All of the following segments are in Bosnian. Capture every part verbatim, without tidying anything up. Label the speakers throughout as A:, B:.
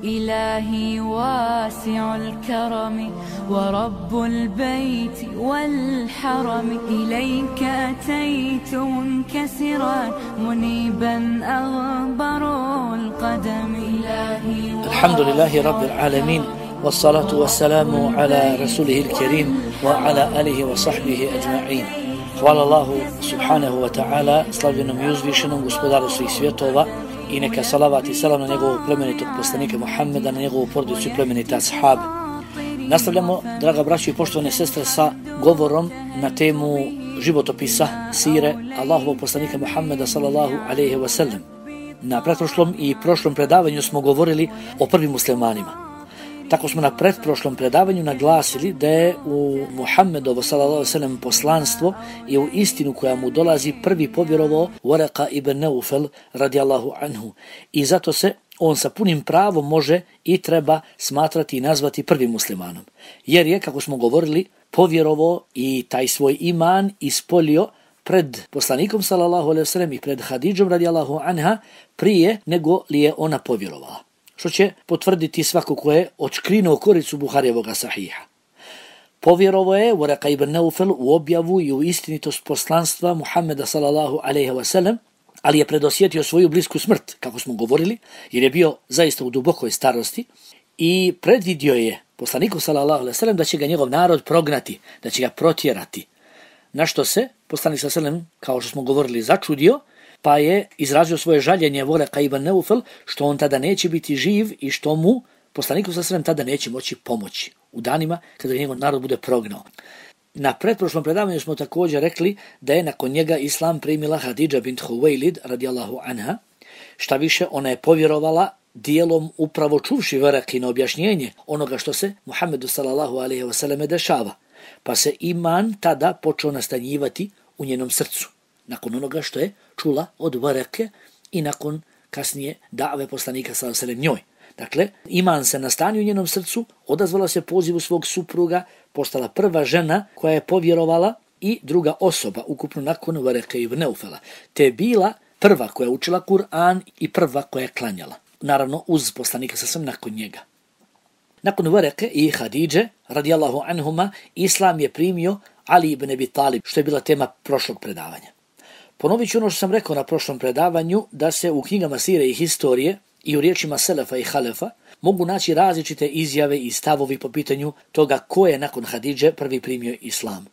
A: إلهي واسع الكرم ورب البيت والحرم إليك أتيت منكسرا منيبا أغبر القدم إلهي.
B: الحمد لله رب العالمين والصلاة والسلام على رسوله الكريم وعلى آله وصحبه أجمعين. Hvala Allahu subhanahu wa ta'ala, slavljenom i uzvišenom gospodaru svih svjetova, i neka salavat i salam na njegovog plemenitog poslanika Muhammeda, na njegovu porodicu i plemenite ashabe. Nastavljamo, draga braćo i poštovane sestre, sa govorom na temu životopisa, sire Allahovog poslanika Muhammeda sallallahu alejhi ve sellem. Na pretprošlom i prošlom predavanju smo govorili o prvim muslimanima. Tako smo na pretprošlom predavanju naglasili da je u Muhammedovo sallallahu alejhi ve sellem poslanstvo i u istinu koja mu dolazi prvi povjerovao Waraka ibn Naufel radijallahu anhu, i zato se on sa punim pravom može i treba smatrati i nazvati prvim muslimanom, jer je, kako smo govorili, povjerovao i taj svoj iman ispolio pred poslanikom sallallahu alejhi ve sellem i pred Hadidžom radijallahu anha prije nego li je ona povjerovala, što će potvrditi svako ko je odškrinuo koricu Buharijevog sahiha. Povjerovao je Waraka ibn Naufel u objavu i u istinitost poslanstva Muhammeda sallallahu alejhi ve sellem, ali je predosjetio svoju blisku smrt, kako smo govorili, jer je bio zaista u dubokoj starosti, i predvidio je poslaniku sallallahu alejhi ve sellem da će ga njegov narod prognati, da će ga protjerati. Na što se poslanik sallallahu alejhi ve sellem, kao što smo govorili, začudio, pa je izrazio svoje žaljenje Waraka ibn Naufel što on tada neće biti živ i što mu poslaniku sallallahu alejhi ve sellem tada neće moći pomoći u danima kada njegov narod bude prognao. Na pretprošlom predavanju smo također rekli da je nakon njega islam primila Hadidža bint Huwailid radijallahu anha. Šta više, ona je povjerovala dijelom upravo čuvši Warakino objašnjenje onoga što se Muhammedu sallallahu alejhi ve selleme dešava, pa se iman tada počeo nastanjivati u njenom srcu, nakon onoga što je čula od Warake i nakon kasnije dave poslanika sallallahu alejhi ve sellem njoj. Dakle, iman se nastanio u njenom srcu, odazvala se pozivu svog supruga, postala prva žena koja je povjerovala i druga osoba ukupno nakon Warake ibn Naufela, te je bila prva koja je učila Kur'an i prva koja je klanjala, naravno uz poslanika sallallahu alejhi ve sellem nakon njega. Nakon Warake i Hadidže radijallahu anhuma, islam je primio Ali ibn Abi Talib, što je bila tema prošlog predavanja. Ponovit ću ono što sam rekao na prošlom predavanju, da se u knjigama sire i historije i u riječima selefa i halefa mogu naći različite izjave i stavovi po pitanju toga ko je nakon Hadidže prvi primio islam.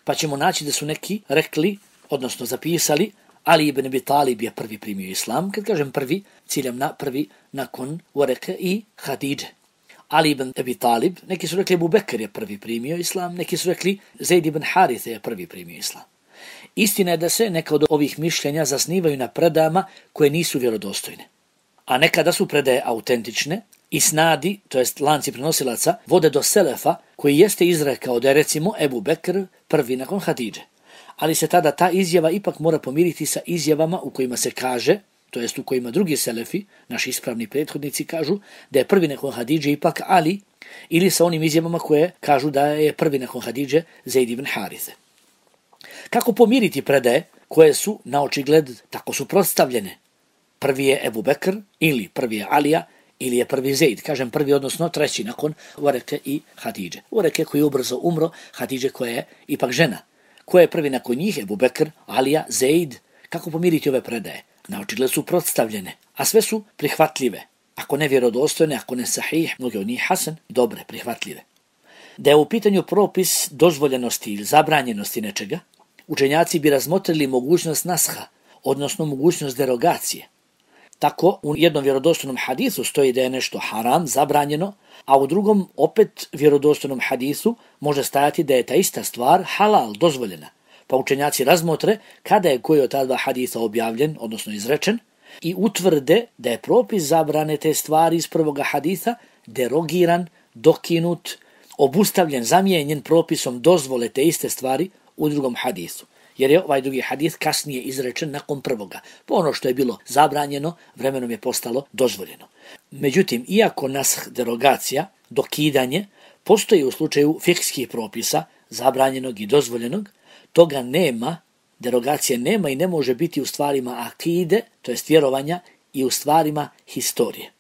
B: Pa ćemo naći da su neki rekli, odnosno zapisali, Ali ibn Abi Talib je prvi primio islam. Kad kažem prvi, ciljam na prvi nakon Warake i Hadidže. Ali ibn Abi Talib, neki su rekli Abu Bekr je prvi primio islam, neki su rekli Zaid ibn Harithe je prvi primio islam. Istina je da se neka od ovih mišljenja zasnivaju na predajama koje nisu vjerodostojne, a nekada su predaje autentične i snadi, to jest lanci prenosilaca, vode do selefa koji jeste izrekao da je recimo Ebu Bekr prvi nakon Hadidže, ali se tada ta izjava ipak mora pomiriti sa izjavama u kojima se kaže, to jest u kojima drugi selefi, naši ispravni prethodnici, kažu da je prvi nakon Hadidže ipak Ali, ili sa onim izjavama koje kažu da je prvi nakon Hadidže Zaid ibn Harithe. Kako pomiriti predaje koje su na očigled tako suprotstavljene? Prvi je Ebu Bekr, ili prvi je Alija, ili je prvi Zaid, kažem prvi, odnosno treći nakon Warake i Hadidže. Warake koji je ubrzo umro, Hadidže koja je ipak žena. Ko je prvi nakon njih? Ebu Bekr, Alija, Zaid. Kako pomiriti ove predaje? Na očigled su protstavljene, a sve su prihvatljive. Ako ne vjerodostojne, ako ne sahih, mnoge od njih hasan, dobre, prihvatljive. Da je u pitanju propis dozvoljenosti ili zabranjenosti nečega, učenjaci bi razmotrili mogućnost nasha, odnosno mogućnost derogacije. Tako u jednom vjerodostojnom hadisu stoji da je nešto haram, zabranjeno, a u drugom opet vjerodostojnom hadisu može stajati da je ta ista stvar halal, dozvoljena. Pa učenjaci razmotre kada je koji od ta dva hadisa objavljen, odnosno izrečen, i utvrde da je propis zabrane te stvari iz prvoga hadisa derogiran, dokinut, obustavljen, zamijenjen propisom dozvole te iste stvari u drugom hadisu. Jer je ovaj drugi hadis kasnije izrečen nakon prvoga. Po ono što je bilo zabranjeno, vremenom je postalo dozvoljeno. Međutim, iako nash, derogacija, dokidanje, postoji u slučaju fikskih propisa, zabranjenog i dozvoljenog, toga nema, derogacije nema i ne može biti u stvarima akide, to jest vjerovanja, i u stvarima historije.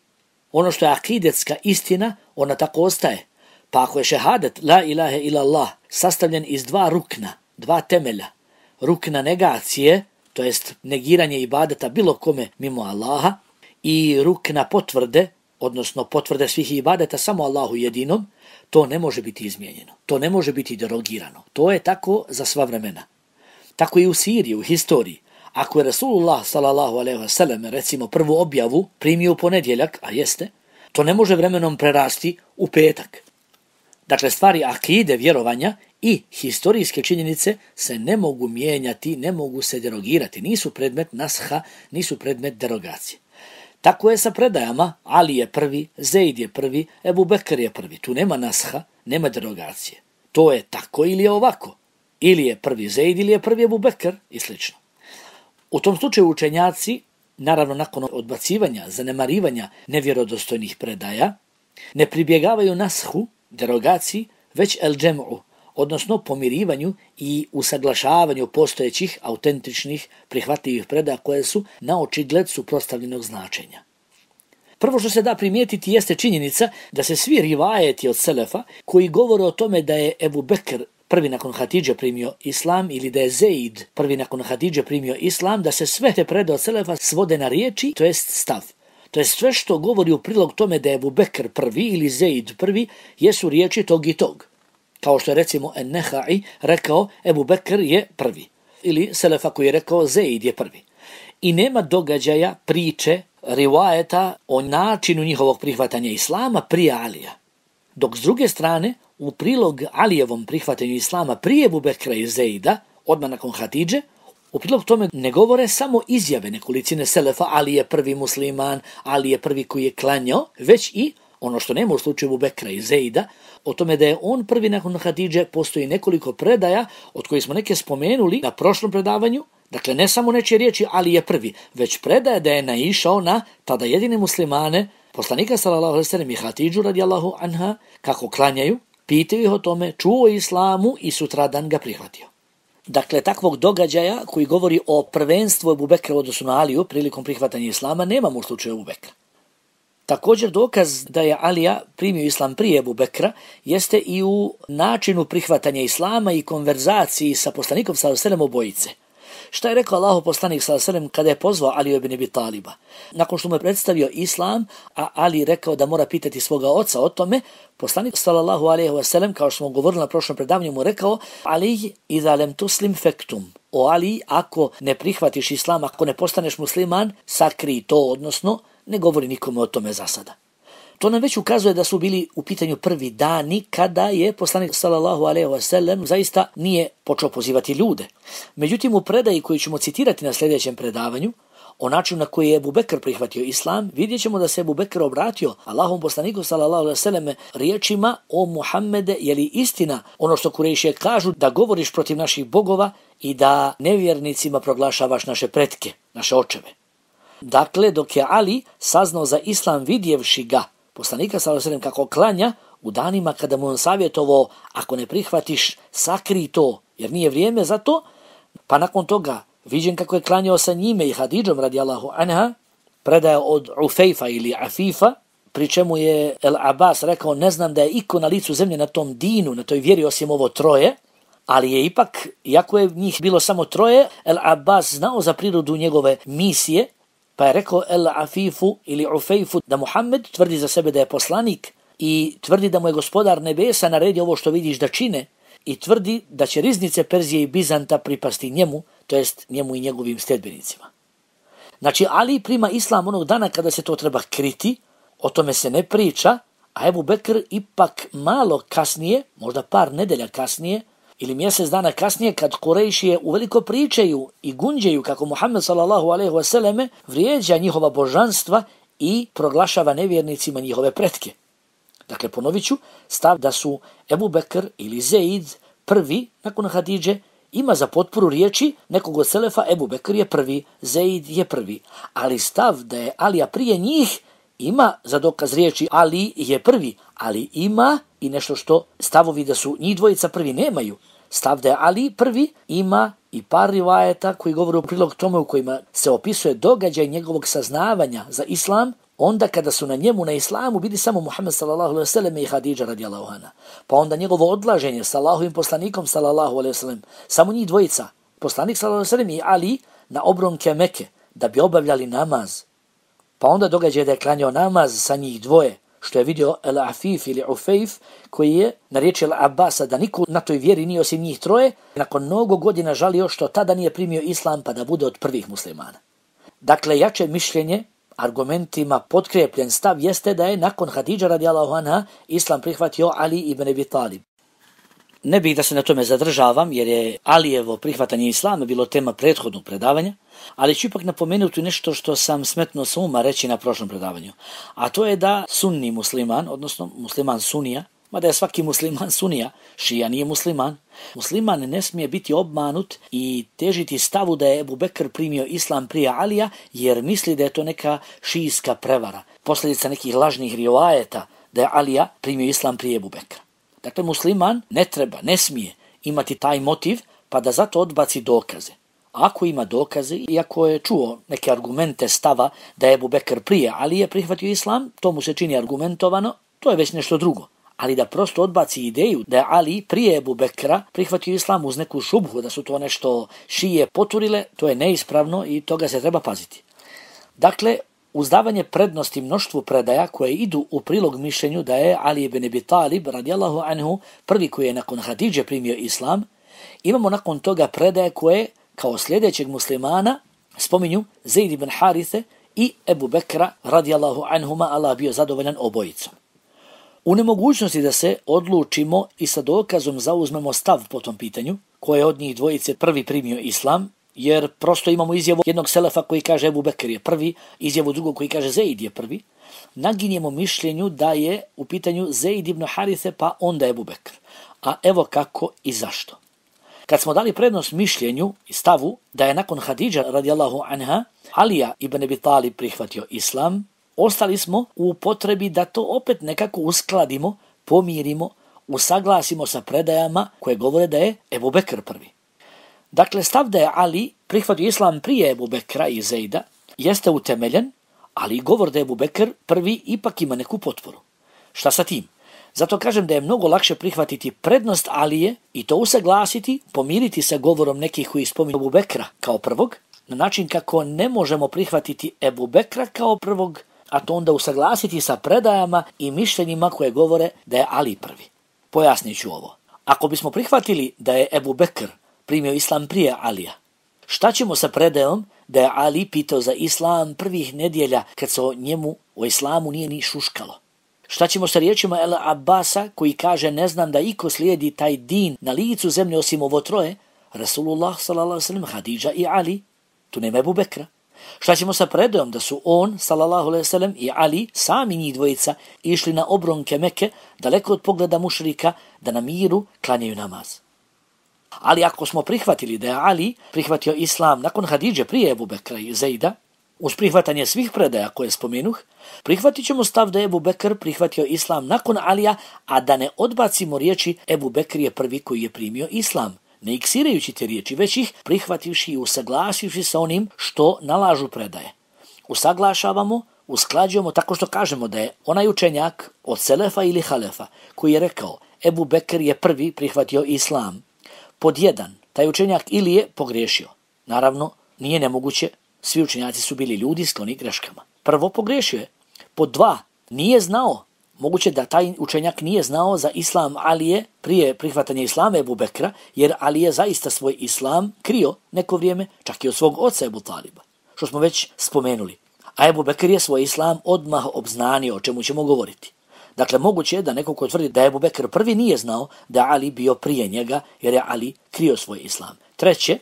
B: Ono što je akidetska istina, ona tako ostaje. Pa ako je šehadet la ilaha illallah sastavljen iz dva rukna, dva temelja, rukna negacije, to jest negiranje ibadeta bilo kome mimo Allaha, i rukna potvrde, odnosno potvrde svih ibadeta samo Allahu jedinom, to ne može biti izmijenjeno. To ne može biti derogirano. To je tako za sva vremena. Tako i u Siriji, u historiji. Ako je Rasulullah sallallahu alejhi ve sellem recimo prvu objavu primio u ponedjeljak, a jeste, to ne može vremenom prerasti u petak. Dakle, stvari akide, vjerovanja i historijske činjenice se ne mogu mijenjati, ne mogu se derogirati. Nisu predmet nasha, nisu predmet derogacije. Tako je sa predajama, Ali je prvi, Zeid je prvi, Ebu Bekr je prvi. Tu nema nasha, nema derogacije. To je tako ili je ovako. Ili je prvi Zeid ili je prvi Ebu Bekr i slično. U tom slučaju učenjaci, naravno nakon odbacivanja, zanemarivanja nevjerodostojnih predaja, ne pribjegavaju nashu, derogaciji, već el džem'u, odnosno pomirivanju i usaglašavanju postojećih, autentičnih, prihvatljivih predaja koje su na očigled suprotstavljenog značenja. Prvo što se da primijetiti jeste činjenica da se svi rivajeti od selefa koji govore o tome da je Ebu Bekr prvi nakon Hatidže primio islam ili da je Zeid prvi nakon Hatidže primio islam, da se sve te predaje od selefa svode na riječi, to jest stav. To je sve što govori u prilog tome da je Ebu Bekr prvi ili Zeid prvi, jesu riječi tog i tog. Kao što je recimo En-Nehai rekao Ebu Bekr je prvi. Ili selefa koji je rekao Zeid je prvi. I nema događaja, priče, rivajeta o načinu njihovog prihvatanja islama prije Alija. Dok s druge strane, u prilog Alijevom prihvatanju islama prije Ebu Bekra i Zeida, odmah nakon Hatidže, u prilog tome ne govore samo izjave nekolicine selefa, Ali je prvi musliman, Ali je prvi koji je klanjao, već i ono što nema u slučaju Ebu Bekra i Zeida, o tome da je on prvi nakon Hatidže, postoji nekoliko predaja, od kojih smo neke spomenuli na prošlom predavanju. Dakle, ne samo nečije riječi Ali je prvi, već predaje da je naišao na tada jedine muslimane, poslanika sallallahu alejhi ve sellem i Hatidžu radijallahu anha, kako klanjaju, pitaju ih o tome, čuo islamu i sutradan ga prihvatio. Dakle, takvog događaja koji govori o prvenstvu Ebu Bekra u odnosu na Aliju prilikom prihvatanja islama nemamo u slučaju Ebu Bekra. Također dokaz da je Alija primio islam prije Ebu Bekra jeste i u načinu prihvatanja islama i konverzaciji sa poslanikom sallallahu alejhi ve sellem obojice. Šta je rekao Allahov poslanik sallallahu alejhi ve sellem kada je pozvao Aliju ibn Abi Taliba? Nakon što mu je predstavio islam, a Ali rekao da mora pitati svoga oca o tome, poslanik sallallahu alejhi ve sellem, kao što smo govorili na prošlom predavanju, mu rekao: Ali idha lam tuslim faktum. O Ali, ako ne prihvatiš islam, ako ne postaneš musliman, sakri to, odnosno ne govori nikome o tome za sada. To nam već ukazuje da su bili u pitanju prvi dani kada je poslanik sallallahu alejhi ve sellem zaista nije počeo pozivati ljude. Međutim, u predaji koju ćemo citirati na sljedećem predavanju, o načinu na koji je Ebu Bekr prihvatio islam, vidjet ćemo da se Ebu Bekr obratio Allahom poslaniku sallallahu alejhi ve sellem riječima: o Muhammede, je li istina ono što Kurejšije kažu da govoriš protiv naših bogova i da nevjernicima proglašavaš naše pretke, naše očeve? Dakle, dok je Ali saznao za islam vidjevši ga, poslanika sallallahu alejhi ve sellem kako klanja, u danima kada mu on savjetovao: ako ne prihvatiš, sakri to, jer nije vrijeme za to, pa nakon toga viđen kako je klanjao sa njime i Hatidžom radijallahu anha, predaja od Ufejfa ili Afifa, pri čemu je El Abbas rekao: ne znam da je iko na licu zemlje na tom dinu, na toj vjeri osim ovo troje, ali je ipak, iako je njih bilo samo troje, El Abbas znao za prirodu njegove misije, pa je rekao El Afifu ili Ufejfu da Muhammed tvrdi za sebe da je poslanik i tvrdi da mu je gospodar nebesa naredio ovo što vidiš da čine i tvrdi da će riznice Perzije i Bizanta pripasti njemu, to jest njemu i njegovim sljedbenicima. Znači, Ali prima islam onog dana kada se to treba kriti, o tome se ne priča, a Ebu Bekr ipak malo kasnije, možda par nedelja kasnije, ili mjesec dana kasnije, kad Kurejšije uveliko pričaju i gunđaju kako Muhammed sallallahu alejhi ve selleme vrijeđa njihova božanstva i proglašava nevjernicima njihove pretke. Dakle, ponovit ću, stav da su Ebu Bekr ili Zeid prvi nakon Hatidže ima za potporu riječi nekog od selefa: Ebu Bekr je prvi, Zeid je prvi. Ali stav da je Alija prije njih ima za dokaz riječi Ali je prvi, ali ima i nešto što stavovi da su njih dvojica prvi nemaju. Stav da je Ali prvi ima i par rivajeta koji govore u prilog tome u kojima se opisuje događaj njegovog saznavanja za islam onda kada su na njemu na islamu bili samo Muhammed sallallahu alejhi ve sellem i Hadidža radijallahu anha. Pa onda njegovo odlaženje sa Allahovim poslanikom sallallahu alejhi ve sellem, samo njih dvojica, poslanik sallallahu alejhi ve sellem i Ali na obronke Mekke da bi obavljali namaz. Pa onda događa da je klanjao namaz sa njih dvoje, što je vidio El Afif ili Ufejf, koji je na riječi El Abbasa da niko na toj vjeri nije osim njih troje, nakon mnogo godina žalio što tada nije primio islam pa da bude od prvih muslimana. Dakle, jače mišljenje, argumentima potkrepljen stav jeste da je nakon Hadidža radijallahu anha islam prihvatio Ali ibn Abi Talib. Ne bih da se na tome zadržavam jer je Alijevo prihvatanje islama bilo tema prethodnog predavanja, ali ću ipak napomenuti nešto što sam smetnuo sa uma reći na prošlom predavanju. A to je da sunni musliman, odnosno musliman sunija, mada je svaki musliman sunija, šija nije musliman, musliman ne smije biti obmanut i težiti stavu da je Ebu Bekr primio islam prije Alija jer misli da je to neka šijska prevara, posljedica nekih lažnih rivajeta da je Alija primio islam prije Ebu Bekra. Dakle, musliman ne treba, ne smije imati taj motiv pa da zato odbaci dokaze. Ako ima dokaze i ako je čuo neke argumente stava da je Ebu Bekr prije Alije prihvatio islam, to mu se čini argumentovano, to je već nešto drugo. Ali da prosto odbaci ideju da je Ali prije Ebu Bekra prihvatio islam uz neku šubhu, da su to nešto šije poturile, to je neispravno i toga se treba paziti. Dakle, uz davanje prednosti mnoštvu predaja koje idu u prilog mišljenju da je Ali ibn Abi Talib radijallahu anhu prvi koji je nakon Hadidže primio islam, imamo nakon toga predaje koje kao sljedećeg muslimana spominju Zaid ibn Harithe i Ebu Bekra radijallahu anhuma, Allah bio zadovoljan obojicom. U nemogućnosti da se odlučimo i sa dokazom zauzmemo stav po tom pitanju, koje od njih dvojice prvi primio islam, jer prosto imamo izjavu jednog selefa koji kaže Ebu Bekr je prvi, izjavu drugog koji kaže Zaid je prvi, naginjemo mišljenju da je u pitanju Zaid ibn Harithe pa onda Ebu Bekr. A evo kako i zašto. Kad smo dali prednost mišljenju i stavu da je nakon Hadidža radijallahu anha Alija ibn Abi Talib prihvatio islam, ostali smo u potrebi da to opet nekako uskladimo, pomirimo, usaglasimo sa predajama koje govore da je Ebu Bekr prvi. Dakle, stav da je Ali prihvatio islam prije Ebu Bekra i Zejda jeste utemeljen, ali govor da je Ebu Bekr prvi ipak ima neku potporu. Šta sa tim? Zato kažem da je mnogo lakše prihvatiti prednost Alije i to usaglasiti, pomiriti sa govorom nekih koji spominju Ebu Bekra kao prvog, na način kako ne možemo prihvatiti Ebu Bekra kao prvog, a to onda usaglasiti sa predajama i mišljenjima koje govore da je Ali prvi. Pojasnit ću ovo. Ako bismo prihvatili da je Ebu Bekr primio islam prije Alija, šta ćemo sa predajom da je Ali pitao za islam prvih nedjelja kad se o njemu, o islamu nije ni šuškalo? Šta ćemo sa riječima El Abbasa koji kaže ne znam da iko slijedi taj din na licu zemlje osim ovo troje, Rasulullah sallallahu alejhi ve sellem, Hadidža i Ali, tu nema Ebu Bekra. Šta ćemo sa predajom da su on, sallallahu alejhi ve sellem, i Ali, sami njih dvojica, išli na obronke Mekke, daleko od pogleda mušrika, da na miru klanjaju namaz? Ali ako smo prihvatili da je Ali prihvatio islam nakon Hadidže prije Ebu Bekra i Zejda, uz prihvatanje svih predaja koje spomenuh, prihvatit ćemo stav da je Ebu Bekr prihvatio islam nakon Alija, a da ne odbacimo riječi Ebu Bekr je prvi koji je primio islam, ne iksirajući te riječi, već ih prihvativši i usaglasivši sa onim što nalažu predaje. Usaglašavamo, usklađujemo tako što kažemo da je onaj učenjak od Selefa ili Halefa koji je rekao Ebu Bekr je prvi prihvatio islam. Pod jedan, taj učenjak ili je pogriješio. Naravno, nije nemoguće, svi učenjaci su bili ljudi skloni greškama. Prvo, pogriješio je. Pod dva, nije znao. Moguće da taj učenjak nije znao za islam Alije prije prihvatanja islama Ebu Bekra, jer Ali je zaista svoj islam krio neko vrijeme, čak i od svog oca Ebu Taliba, što smo već spomenuli. A Ebu Bekr je svoj islam odmah obznanio, o čemu ćemo govoriti. Dakle, moguće je da neko ko tvrdi da je Ebu Bekr prvi nije znao da je Ali bio prije njega, jer je Ali krio svoj islam. Treće,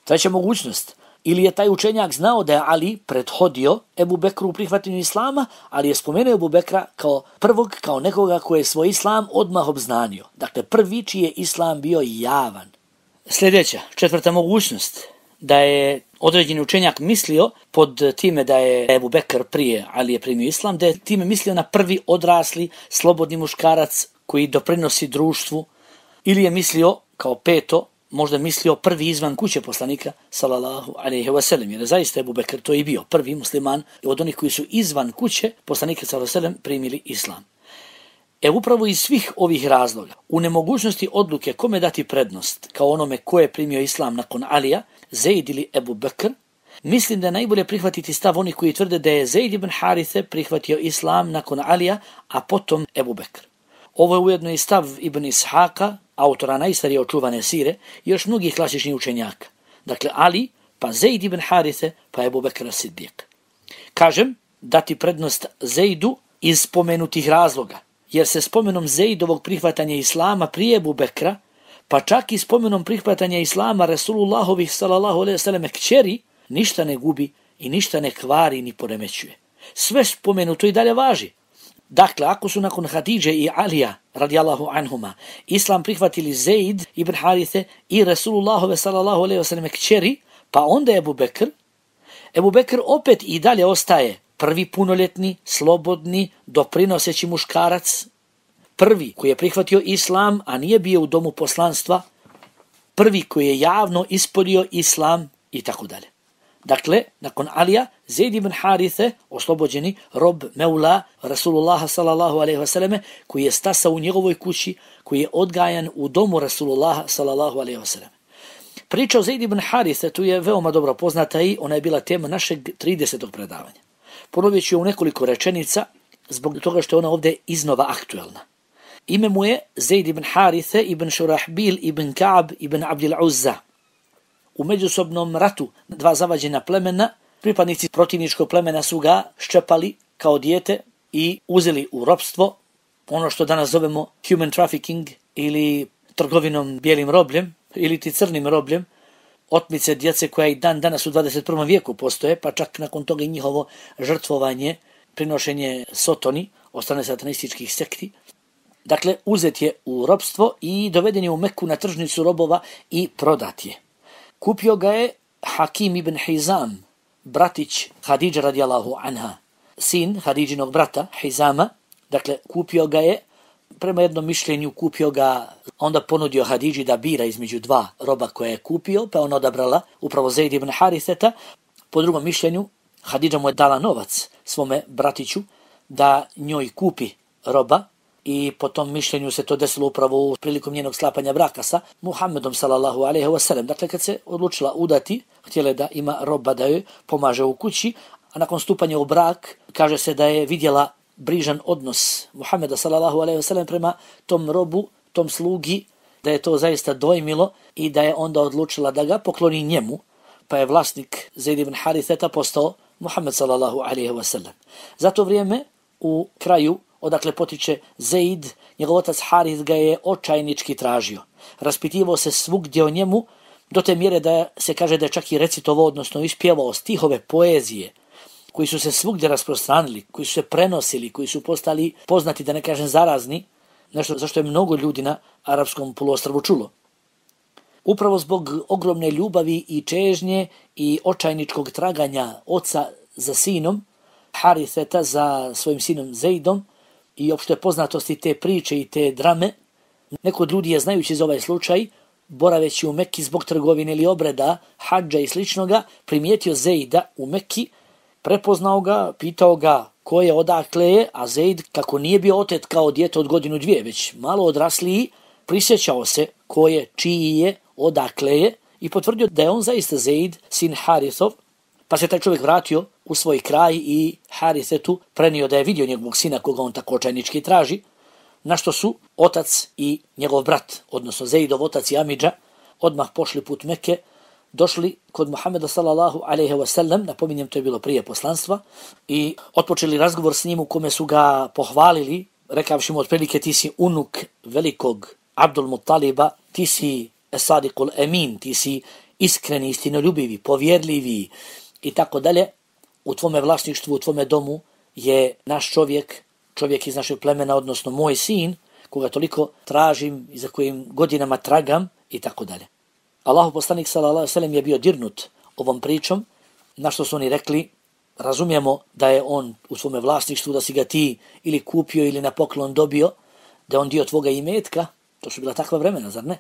B: treća mogućnost, ili je taj učenjak znao da je Ali prethodio Ebu Bekru u prihvatanju islama, ali je spomenuo Ebu Bekra kao prvog, kao nekoga koji je svoj islam odmah obznanio. Dakle, prvi čiji je islam bio javan. Sljedeća, četvrta mogućnost, da je određeni učenjak mislio pod time da je Ebu Bekr prije Ali je primio islam, da je time mislio na prvi odrasli, slobodni muškarac koji doprinosi društvu, ili je mislio kao peto možda mislio prvi izvan kuće poslanika sallallahu alejhi ve sellem, jer zaista Ebu Bekr to i bio prvi musliman od onih koji su izvan kuće poslanika sallallahu alejhi ve sellem primili islam. E upravo iz svih ovih razloga, u nemogućnosti odluke kome dati prednost kao onome ko je primio islam nakon Alija, Zeid ili Ebu Bekr, mislim da je najbolje prihvatiti stav onih koji tvrde da je Zeid ibn Harithe prihvatio islam nakon Alija, a potom Ebu Bekr. Ovo je ujedno i stav Ibn Ishaka, autora najstarije očuvane sire, i još mnogih klasičnih učenjaka. Dakle, Ali, pa Zeid ibn Harithe, pa Ebu Bekr as-Siddiq. Kažem, dati prednost Zeidu iz spomenutih razloga, jer se spomenom Zeidovog prihvatanja islama prije Ebu Bekra, pa čak i spomenom prihvatanja islama Resulullahovih sallallahu alejhi ve sellem kćeri, ništa ne gubi i ništa ne kvari ni poremećuje. Sve spomenuto i dalje važi. Dakle, ako su nakon Hadidže i Alija, radijallahu anhuma, islam prihvatili Zeid ibn Harithe i Resulullahove sallallahu alejhi ve sellem kćeri, pa onda Ebu Bekr, Ebu Bekr opet i dalje ostaje prvi punoljetni, slobodni, doprinoseći muškarac, prvi koji je prihvatio islam, a nije bio u domu poslanstva, prvi koji je javno ispolio islam i tako dalje. Dakle, nakon Alija, Zeid ibn Harithe, oslobođeni rob Meula Rasulullaha sallallahu alejhi ve selleme, koji je stasao u njegovoj kući, koji je odgajan u domu Rasulullaha sallallahu alejhi ve selleme. Priča o Zeid ibn Harithe tu je veoma dobro poznata i ona je bila tema našeg tridesetog predavanja. Ponovit ću u nekoliko rečenica zbog toga što je ona ovdje iznova aktuelna. Ime mu je Zeid ibn Harithe ibn Šurahbil ibn Ka'b ibn Abdil Uzza. U međusobnom ratu dva zavađena plemena, pripadnici protivničkog plemena su ga ščepali kao dijete i uzeli u ropstvo, ono što danas zovemo human trafficking ili trgovinom bijelim robljem ili ti crnim robljem, otmice djece koja i dan danas u dvadeset prvom vijeku postoje, pa čak nakon toga i njihovo žrtvovanje, prinošenje sotoni od strane satanističkih sekti. Dakle, uzet je u ropstvo i doveden je u Meku na tržnicu robova i prodat je. Kupio ga je Hakim ibn Hizam, bratić Hadidže radijallahu anha, sin Hadidžinog brata Hizama. Dakle, kupio ga je, prema jednom mišljenju kupio ga, onda ponudio Hadidži da bira između dva roba koje je kupio, pa ona odabrala upravo Zeid ibn Haritheta. Po drugom mišljenju, Hadidža mu je dala novac svome bratiću da njoj kupi roba, i po tom mišljenju se to desilo upravo prilikom njenog sklapanja braka sa Muhammedom sallallahu alejhi ve sellem. Dakle, kad se odlučila udati, htjela da ima roba da joj pomaže u kući, a nakon stupanja u brak, kaže se da je vidjela brižan odnos Muhammeda sallallahu alejhi ve sellem prema tom robu, tom slugi, da je to zaista dojmilo i da je onda odlučila da ga pokloni njemu, pa je vlasnik Zeid ibn Haritheta postao Muhammed sallallahu alejhi ve sellem. Za to vrijeme u kraju odakle potiče Zeid, njegov otac Harith ga je očajnički tražio. Raspitivao se svugdje o njemu, do te mjere da se kaže da je čak i recitovao, odnosno ispjevao stihove poezije, koji su se svugdje rasprostranili, koji su se prenosili, koji su postali poznati, da ne kažem zarazni, nešto zašto je mnogo ljudi na arapskom poluostrvu čulo. Upravo zbog ogromne ljubavi i čežnje i očajničkog traganja oca za sinom, Haritheta za svojim sinom Zeidom, i opšte poznatosti te priče i te drame, neko od ljudi je, znajući za ovaj slučaj, boraveći u Mekki zbog trgovine ili obreda, hadža i sličnoga, primijetio Zeida u Mekki, prepoznao ga, pitao ga ko je, odakle je, a Zeid, kako nije bio otet kao dijete od godinu dvije, već malo odrasliji, prisjećao se ko je, čiji je, odakle je i potvrdio da je on zaista Zeid, sin Harithov, pa se taj čovjek vratio u svoj kraj i Harithetu prenio da je vidio njegovog sina koga on tako očajnički traži, na što su otac i njegov brat, odnosno Zeidov otac i amidža, odmah pošli put Mekke, došli kod Muhammeda sallallahu alejhi ve sellem, napominjem to je bilo prije poslanstva, i otpočeli razgovor s njim u kome su ga pohvalili, rekavši mu otprilike ti si unuk velikog Abdul Muttaliba, ti si Esadiqul Emin, ti si iskreni, istinoljubivi, povjerljivi i tako dalje. U tvome vlasništvu, u tvome domu je naš čovjek, čovjek iz našeg plemena, odnosno moj sin, koga toliko tražim i za kojim godinama tragam i tako dalje. Allahu poslanik sallallahu alejhi ve sellem je bio dirnut ovom pričom, na što su oni rekli, razumijemo da je on u svome vlasništvu, da si ga ti ili kupio ili na poklon dobio, da je on dio tvoga imetka, to su bila takva vremena, zar ne?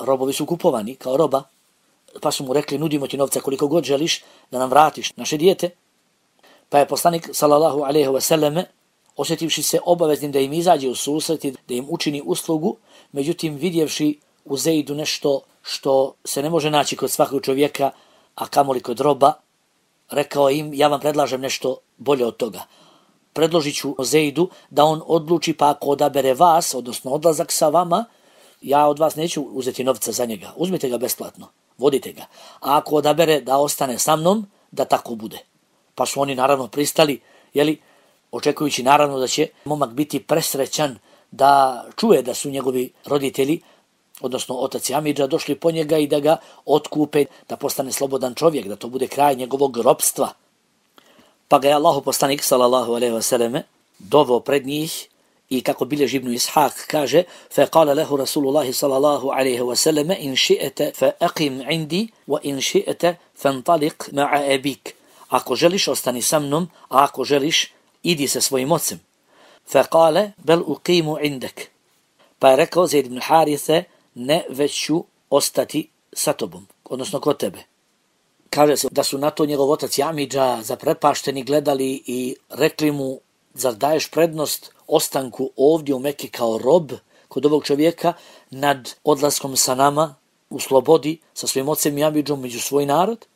B: robovi su kupovani kao roba, pa su mu rekli nudimo ti novca koliko god želiš da nam vratiš naše dijete. Pa je poslanik sallallahu alejhi ve selleme osjetivši se obaveznim da im izađe u susret i da im učini uslugu, međutim vidjevši u Zeidu nešto što se ne može naći kod svakog čovjeka, a kamoli kod roba, rekao im ja vam predlažem nešto bolje od toga. Predložit ću Zeidu da on odluči, pa ako odabere vas, odnosno odlazak sa vama, ja od vas neću uzeti novca za njega. Uzmite ga besplatno, vodite ga. A ako odabere da ostane sa mnom, da tako bude. Pa su oni naravno pristali, jeli, očekujući naravno da će momak biti presrećan da čuje da su njegovi roditelji, odnosno otac i amidža, došli po njega i da ga otkupe, da postane slobodan čovjek, da to bude kraj njegovog ropstva. Pa ga je Allahu poslanik sallallahu alejhi ve selleme doveo pred njih i kako bilježi Ibn Ishaq kaže فَقَالَ لَهُ رَسُولُ اللَّهِ صَلَى اللَّهُ عَلَيْهِ وَسَلَّمَ إِنْ شِئْتَ فَأَقِمْ عِنْدِي وَإِنْ شِئْتَ فَانْطَلِقْ مَعَ أَبِيكَ. Ako želiš, ostani sa mnom, a ako želiš, idi sa svojim ocem. فَقَالَ بَلْ أُقِيمُ عِنْدَكَ. Pa je rekao Zaid ibn Harithe, ne, već ću ostati sa tobom, odnosno kod tebe. Kaže se da su na to njegov otac i amidža zaprepašteni gledali i rekli mu, zar daješ prednost ostanku ovdje u Meki kao rob kod ovog čovjeka nad odlaskom sa nama u slobodi sa svojim ocem i amidžom među svoj narod?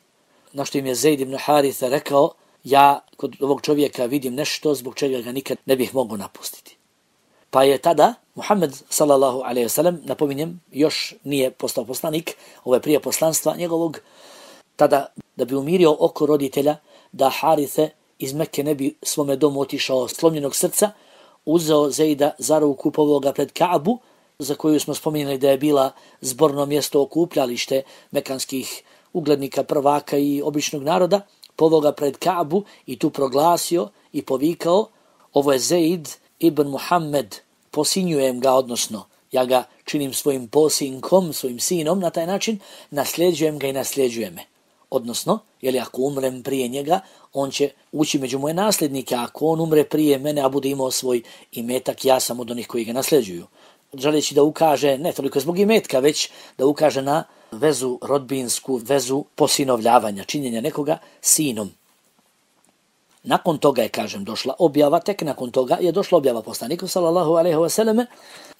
B: Na što im je Zaid ibn Haritha rekao, ja kod ovog čovjeka vidim nešto zbog čega ga nikad ne bih mogao napustiti. Pa je tada Muhammed sallallahu alejhi ve sellem, napominjem, još nije postao poslanik, ovo je prije poslanstva njegovog, tada da bi umirio oko roditelja, da Harithe iz Mekke ne bi svome domu otišao slomljenog srca, uzeo Zeida za ruku, poveo ga pred Kaabu, za koju smo spominjali da je bila zborno mjesto okupljalište mekanskih uglednika, prvaka i običnog naroda, poveo ga pred Kaabu i tu proglasio i povikao, ovo je Zeid ibn Muhammed, posinjujem ga, odnosno ja ga činim svojim posinkom, svojim sinom, na taj način nasljeđujem ga i nasljeđuje me. Odnosno, jeli ako umrem prije njega, on će ući među moje nasljednike, a ako on umre prije mene, a bude imao svoj imetak, ja sam od onih koji ga nasljeđuju. Želeći da ukaže, ne toliko zbog imetka, već da ukaže na vezu rodbinsku, vezu posinovljavanja, činjenja nekoga sinom. Nakon toga je, kažem, došla objava, tek nakon toga je došla objava poslaniku sallallahu alejhi ve selleme.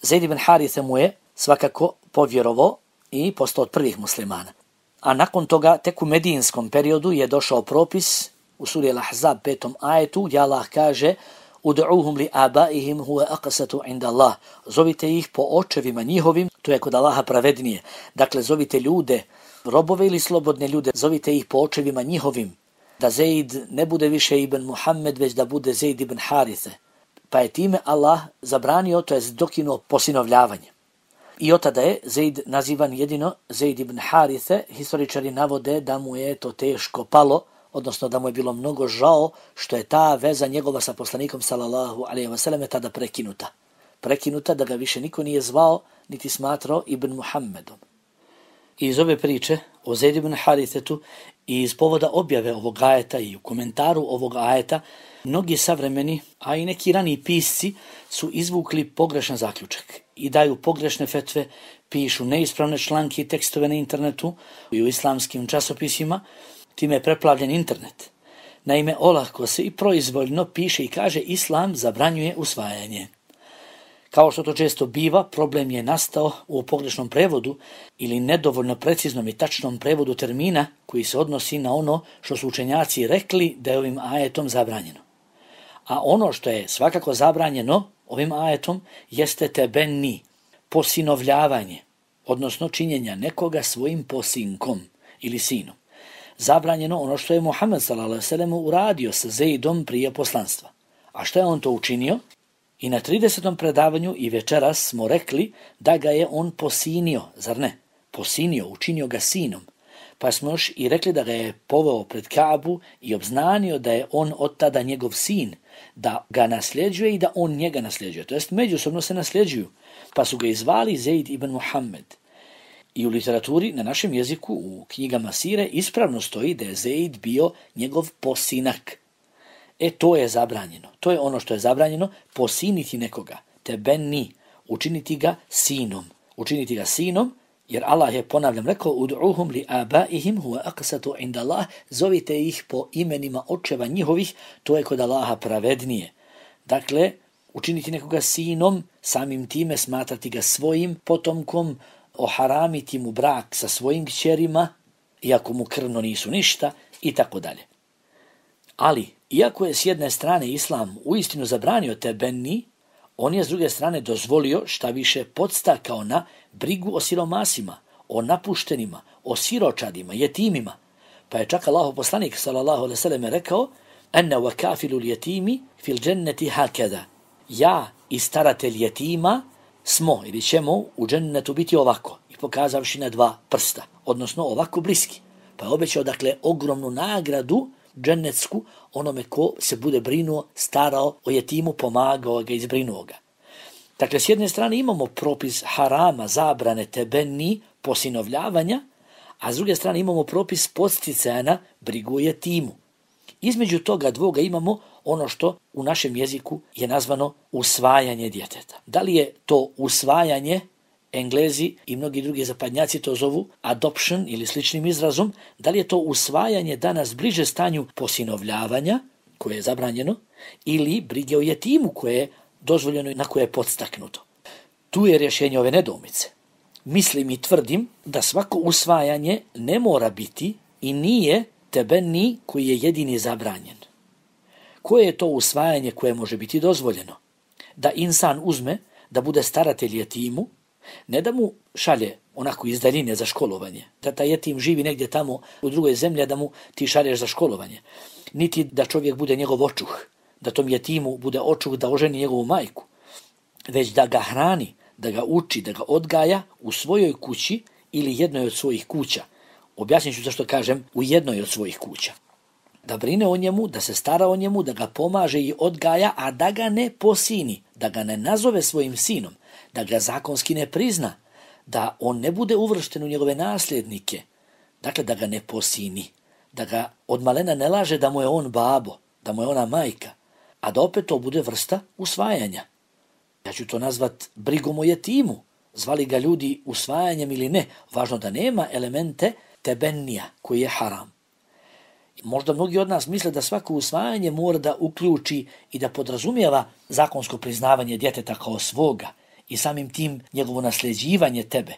B: Zaid ibn Harithe mu je svakako povjerovao i postao od prvih muslimana. A nakon toga, tek u medijinskom periodu je došao propis u suri Al-Ahzab petom ajetu, gdje Allah kaže Ud'uhum li abaihim huwa aqsatu inda Allah. Zovite ih po očevima njihovim, to je kod Allaha pravednije. Dakle, zovite ljude, robove ili slobodne ljude, zovite ih po očevima njihovim. Da Zaid ne bude više ibn Muhammed, već da bude Zaid ibn Harithe. Pa je time Allah zabranio, to je dokinuo posinovljavanje. I od tada je Zaid nazivan jedino Zaid ibn Harithe. Historičari navode da mu je to teško palo, odnosno da mu je bilo mnogo žao što je ta veza njegova sa poslanikom sallallahu alejhi ve selleme tada prekinuta. Prekinuta da ga više niko nije zvao niti smatrao ibn Muhammedom. I iz ove priče o Zaid ibn Harithetu i iz povoda objave ovog ajeta i u komentaru ovog ajeta, mnogi savremeni, a i neki raniji pisci su izvukli pogrešan zaključak i daju pogrešne fetve, pišu neispravne članke i tekstove na internetu i u islamskim časopisima. Time je preplavljen internet. Naime, olako se i proizvoljno piše i kaže islam zabranjuje usvajanje. Kao što to često biva, problem je nastao u pogrešnom prevodu ili nedovoljno preciznom i tačnom prevodu termina koji se odnosi na ono što su učenjaci rekli da je ovim ajetom zabranjeno. A ono što je svakako zabranjeno ovim ajetom jeste tebenni, posinovljavanje, odnosno činjenja nekoga svojim posinkom ili sinom. Zabranjeno ono što je Muhammed sallallahu alejhi ve sellem uradio sa Zaidom prije poslanstva. A što je on to učinio? I na tridesetom predavanju i večeras smo rekli da ga je on posinio, zar ne? Posinio, učinio ga sinom. Pa smo još i rekli da ga je poveo pred Kaabu i obznanio da je on od tada njegov sin, da ga nasljeđuje i da on njega nasljeđuje. To jest međusobno se nasljeđuju. Pa su ga izvali Zaid ibn Muhammed. I u literaturi, na našem jeziku, u knjigama sire, ispravno stoji da je Zaid bio njegov posinak. E, to je zabranjeno. To je ono što je zabranjeno, posiniti nekoga, tebenni, učiniti ga sinom. Učiniti ga sinom Jer Allah je, ponavljam, rekao ud'uhum li abaihim huwa aqsatu inda Allah, zovite ih po imenima očeva njihovih, to je kod Allaha pravednije. Dakle, učiniti nekoga sinom, samim time smatrati ga svojim potomkom, oharamiti mu brak sa svojim kćerima, iako mu krvno nisu ništa, i tako dalje. Ali, iako je s jedne strane Islam uistinu zabranio tebenni, on je s druge strane dozvolio, šta više podstakao na brigu o siromasima, o napuštenima, o siročadima, jetimima. Pa je čak Allahov poslanik sallallahu alejhi ve sellem rekao: "Ana wa kafilul yatimi fil jannati hakada." Ja i staratelj jetima smo ili ćemo u džennetu biti ovako, i pokazavši na dva prsta, odnosno ovako bliski. Pa je obećao, dakle, ogromnu nagradu džennetsku onome ko se bude brinuo, starao o jetimu, pomagao ga, izbrinuo ga. Dakle, s jedne strane imamo propis harama, zabrane tebenni, posinovljavanja, a s druge strane imamo propis podsticaja na brigu o jetimu. Između toga dvoga imamo ono što u našem jeziku je nazvano usvajanje djeteta. Da li je to usvajanje, Englezi i mnogi drugi zapadnjaci to zovu adoption ili sličnim izrazom, da li je to usvajanje danas bliže stanju posinovljavanja, koje je zabranjeno, ili brige o jetimu koje je dozvoljeno i na koje je podstaknuto. Tu je rješenje ove nedoumice. Mislim i tvrdim da svako usvajanje ne mora biti i nije tebenni koji je jedini zabranjen. Koje je to usvajanje koje može biti dozvoljeno? Da insan uzme, da bude staratelj jetimu, ne da mu šalje onako iz daljine za školovanje, da taj jetim živi negdje tamo u drugoj zemlji, da mu ti šalješ za školovanje, niti da čovjek bude njegov očuh, da tom jetimu bude očuh da oženi njegovu majku, već da ga hrani, da ga uči, da ga odgaja u svojoj kući ili jednoj od svojih kuća. Objasnit ću zašto kažem u jednoj od svojih kuća. Da brine o njemu, da se stara o njemu, da ga pomaže i odgaja, a da ga ne posini, da ga ne nazove svojim sinom, da ga zakonski ne prizna, da on ne bude uvršten u njegove nasljednike, dakle da ga ne posini, da ga od malena ne laže da mu je on babo, da mu je ona majka, a da opet to bude vrsta usvajanja. Ja ću to nazvat brigom o jetimu, zvali ga ljudi usvajanjem ili ne, važno da nema elemente tebennija koji je haram. Možda mnogi od nas misle da svako usvajanje mora da uključi i da podrazumijeva zakonsko priznavanje djeteta kao svoga i samim tim njegovo nasljeđivanje tebe,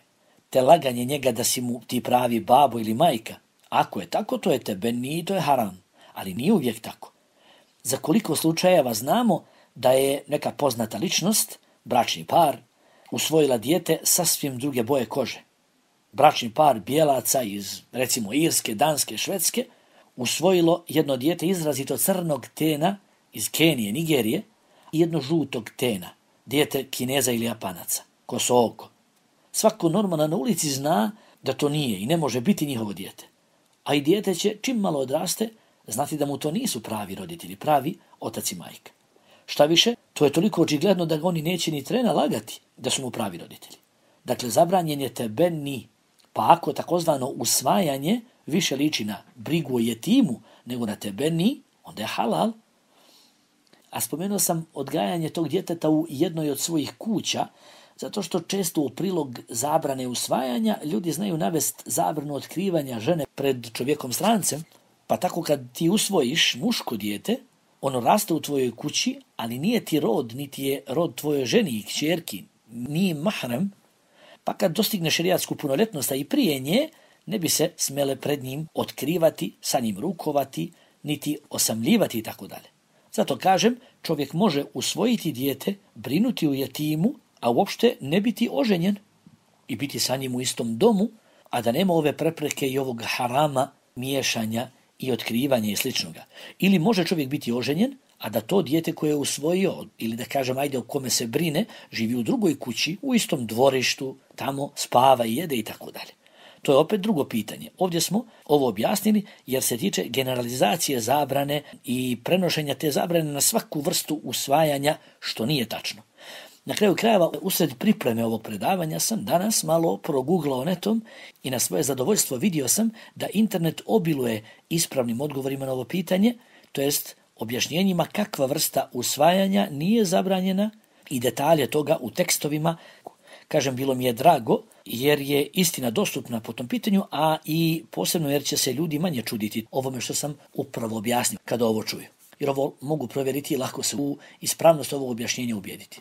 B: te laganje njega da si mu ti pravi babo ili majka. Ako je tako, to je tebenni i to je haram, ali nije uvijek tako. Za koliko slučajeva znamo da je neka poznata ličnost, bračni par, usvojila dijete sasvim druge boje kože. Bračni par bijelaca iz, recimo, Irske, Danske, Švedske, usvojilo jedno dijete izrazito crnog tena iz Kenije, Nigerije, i jedno žutog tena, dijete Kineza ili Japanaca, kosooko. Svako normalan na ulici zna da to nije i ne može biti njihovo dijete. A i dijete će, čim malo odraste, znati da mu to nisu pravi roditelji, pravi otac i majka. Šta više, to je toliko očigledno da ga oni neće ni trena lagati da su mu pravi roditelji. Dakle, zabranjen je tebenni, pa ako takozvano usvajanje više liči na brigu o jetimu nego na tebenni, onda je halal. A spomenuo sam odgajanje tog djeteta u jednoj od svojih kuća, zato što često u prilog zabrane usvajanja ljudi znaju navest zabranu otkrivanja žene pred čovjekom strancem, pa tako kad ti usvojiš muško dijete, ono raste u tvojoj kući, ali nije ti rod, niti je rod tvojoj ženi i kćerki, nije mahram, pa kad dostigne šerijatsku punoljetnost, a i prije nje, ne bi se smjele pred njim otkrivati, sa njim rukovati, niti osamljivati i tako dalje. Zato kažem, čovjek može usvojiti dijete, brinuti u jetimu, a uopšte ne biti oženjen i biti sa njim u istom domu, a da nema ove prepreke i ovog harama, miješanja i otkrivanja i sličnoga. Ili može čovjek biti oženjen, a da to dijete koje je usvojio, ili da kažem ajde o kome se brine, živi u drugoj kući, u istom dvorištu, tamo spava i jede i tako dalje. To je opet drugo pitanje. Ovdje smo ovo objasnili jer se tiče generalizacije zabrane i prenošenja te zabrane na svaku vrstu usvajanja, što nije tačno. Na kraju krajeva, usred pripreme ovog predavanja sam danas malo proguglao netom i na svoje zadovoljstvo vidio sam da internet obiluje ispravnim odgovorima na ovo pitanje, to jest objašnjenjima kakva vrsta usvajanja nije zabranjena i detalje toga u tekstovima Kažem, bilo mi je drago jer je istina dostupna po tom pitanju, a i posebno jer će se ljudi manje čuditi ovome što sam upravo objasnio kada ovo čuju. Jer ovo mogu provjeriti i lako se u ispravnost ovog objašnjenja ubijediti.